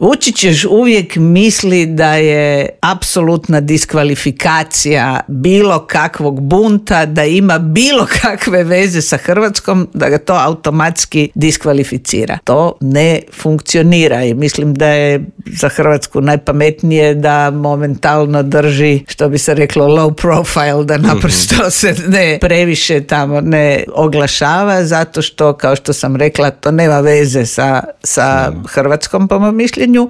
Vučić još uvijek misli da je apsolutna diskvalifikacija bilo kakvog bunta, da ima bilo kakve veze sa Hrvatskom, da ga to automatski diskvalificira. To ne funkcionira i mislim da je za Hrvatsku najpametnije da momentalno drži, što bi se reklo, low profile, da naprosto se ne previše tamo ne oglašava, zato što, kao što sam rekla, to nema veze sa Hrvatskom, po mom mišljenju.